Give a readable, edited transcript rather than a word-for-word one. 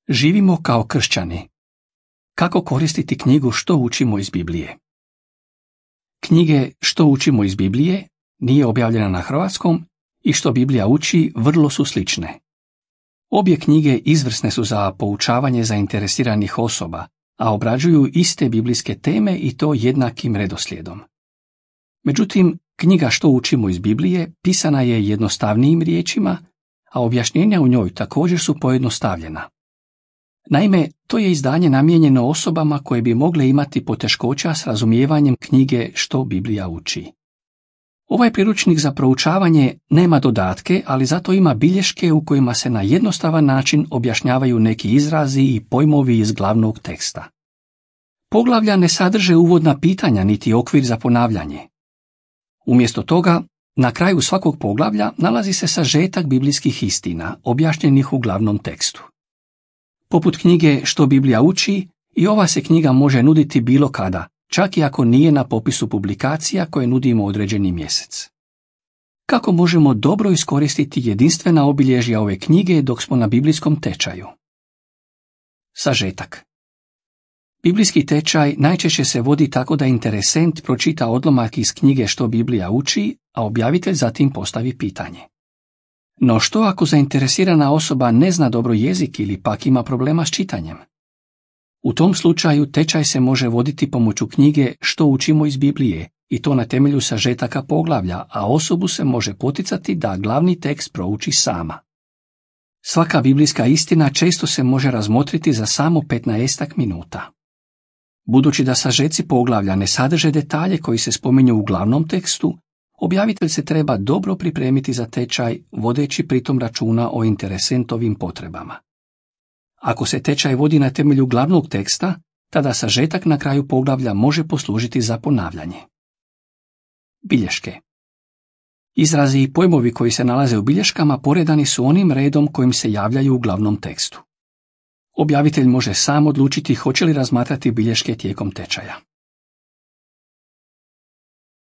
Živimo kao kršćani. Kako koristiti knjigu Što učimo iz Biblije? Knjige Što učimo iz Biblije nije objavljena na hrvatskom i Što Biblija uči vrlo su slične. Obje knjige izvrsne su za poučavanje zainteresiranih osoba, a obrađuju iste biblijske teme i to jednakim redoslijedom. Međutim, knjiga Što učimo iz Biblije pisana je jednostavnijim riječima, a objašnjenja u njoj također su pojednostavljena. Naime, to je izdanje namijenjeno osobama koje bi mogle imati poteškoća s razumijevanjem knjige Što Biblija uči. Ovaj priručnik za proučavanje nema dodatke, ali zato ima bilješke u kojima se na jednostavan način objašnjavaju neki izrazi i pojmovi iz glavnog teksta. Poglavlja ne sadrže uvodna pitanja niti okvir za ponavljanje. Umjesto toga, na kraju svakog poglavlja nalazi se sažetak biblijskih istina, objašnjenih u glavnom tekstu. Poput knjige Što Biblija uči, i ova se knjiga može nuditi bilo kada, čak i ako nije na popisu publikacija koje nudimo određeni mjesec. Kako možemo dobro iskoristiti jedinstvena obilježja ove knjige dok smo na biblijskom tečaju? Sažetak. Biblijski tečaj najčešće se vodi tako da interesent pročita odlomak iz knjige Što Biblija uči, a objavitelj zatim postavi pitanje. No što ako zainteresirana osoba ne zna dobro jezik ili pak ima problema s čitanjem? U tom slučaju tečaj se može voditi pomoću knjige Što učimo iz Biblije, i to na temelju sažetaka poglavlja, a osobu se može poticati da glavni tekst prouči sama. Svaka biblijska istina često se može razmotriti za samo 15 minuta. Budući da sažeci poglavlja ne sadrže detalje koji se spominju u glavnom tekstu, objavitelj se treba dobro pripremiti za tečaj, vodeći pritom računa o interesentovim potrebama. Ako se tečaj vodi na temelju glavnog teksta, tada sažetak na kraju poglavlja može poslužiti za ponavljanje. Bilješke. Izrazi i pojmovi koji se nalaze u bilješkama poredani su onim redom kojim se javljaju u glavnom tekstu. Objavitelj može sam odlučiti hoće li razmatrati bilješke tijekom tečaja.